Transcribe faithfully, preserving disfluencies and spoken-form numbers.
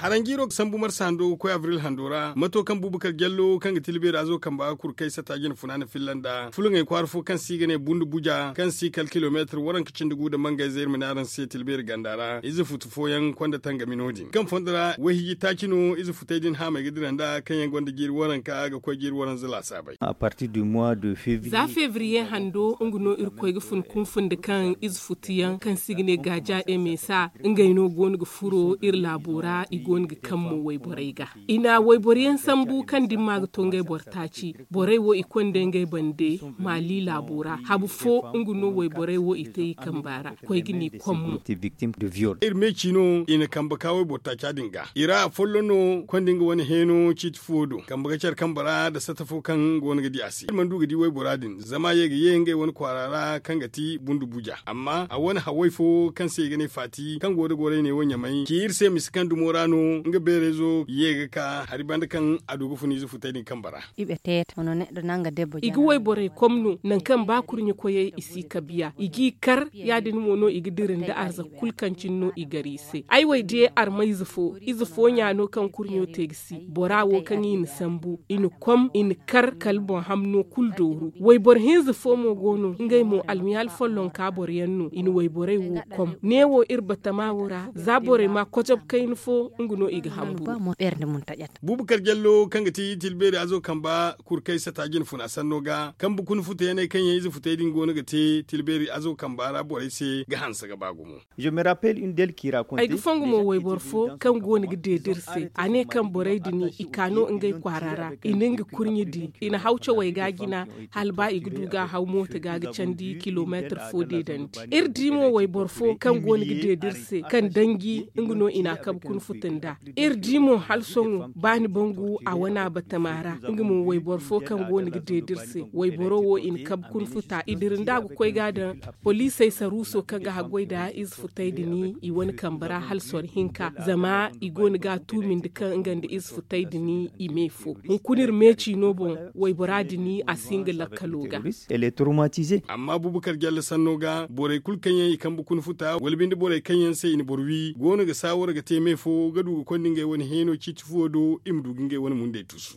Haranjiiro ga sambu marsa hando ga koy abril hando ra mato kaŋ bubakar jallo kaŋ ga tilbeeri azo kamba kurkay sata jina funa na filla nda fulaŋey kwaara fo kaŋ se i ga ne bundu buja kaŋ se i kala kilomeetir waranka cindi gu nda mangayze iri ma ne araŋ se tilbeeri ganda ra ize futu fooyaŋ konda tangami no- din kaŋ fondo ra wayhiji taaci no ize futey din haamey ga dira nda kaŋ yaŋ gonda jiiri waranka ga koy jiiri waranza laasaabey. Za febriye hando nga no irkoy ga fun kunfundi kaŋ ize futu yaŋ kaŋ se i ga ne gaaja de meesa ngey no go no ga furo iri laabo ra i go no ga kaŋ mo wayborey ga. I na wayboro yaŋ sambu kaŋ dimma ga to ngey boro taaci. Borey wo i konda ngey bande maali laabo ra habu fo nga no wayborey wo i te i kamba ra koy ga ni kom mo. Iri meeci no i na kambe ka wayboro taaca din ga i ra afolloŋ no konda nga wane heeno ciiti fo do kambe ga care kambe ra nda sata fo kaŋ go no ga di a se iri mana du ga di waybora din zama ye ga ye ngey wane kwaara ra kaŋ ga ti bundu buja amma a wane haway fo kaŋ se i ga ne faati kaŋ go nda gorey ne wo ɲamay ci iri se misi kaŋ dumo ra no nga beerayzo ye ga ka hari banda kaŋ a du ga fun ize futey din kambe ra. I ga wayborey kom no nangu kaŋ ba kurɲe koyey i si kabiya i g'i kar ya- din mo no i ga dira nda arzaka kulu kaŋ cine no i gar i se ay wo ay di armayze fo ize fo ɲa no kaŋ kurɲo te ga si bora wo kaŋ i na sambu i na kom i na kar kala boŋ hamno kulu dooru wayboro hinza fo mo go no ngey mo almiyaali follonka boro yaŋ no i na wayborey wo kom neewo iri batama wo ra za borey ma kocob kayna fo nga no i ga hambu. Buubu kar jallo kaŋ ga ti tilbeeri azo kamba kurkay sata jina funa sanno ga kambe kuna futa yaŋ ay kaŋ yaŋ ize futay din go no ga te tilbeeri azo kamba ra borey se ga hanse ga ba gumo. Ay ga fongu mo wayboro fo kaŋ go no ga deeda iri se a ne kaŋ borey din i ka no ngey kwaara ra i na nga kurɲe di i na haw cawey ga jina hala ba i ga du ga a haw mooto ga ga candi kilomeetir fo deedandi. Iri di mo wayboro fo kaŋ go no ga deeda iri se kaŋ danji nga no i na a kabe kuna futa nda iri di mo hala sohõ ba ni bangu a wane a batama ra nga mo wayboro fo kaŋ go no ga deeda iri se wayboro wo i na kabe kuna futa i dira nda a ga koy ga a daŋ poliisey saruuso kaŋ ga haggoy nda ize futay din i wane kambe ra hala soro hinka zama i go no ga a tuumindi kaŋ nga nda ize futay din i me fo hunkuna iri meeci no boŋ waybora din a si nga lakkalo ga. Amma bubakar jalle sanno ga borey kulu kaŋ yaŋ i kambe kuna futa wala binde borey kaŋ yaŋ se i na boro wi go no ga saawara ga te me fo ga du ga konda ngey wane heeno ciiti fuwo do i ma du ga ngey wane mundey tuusu.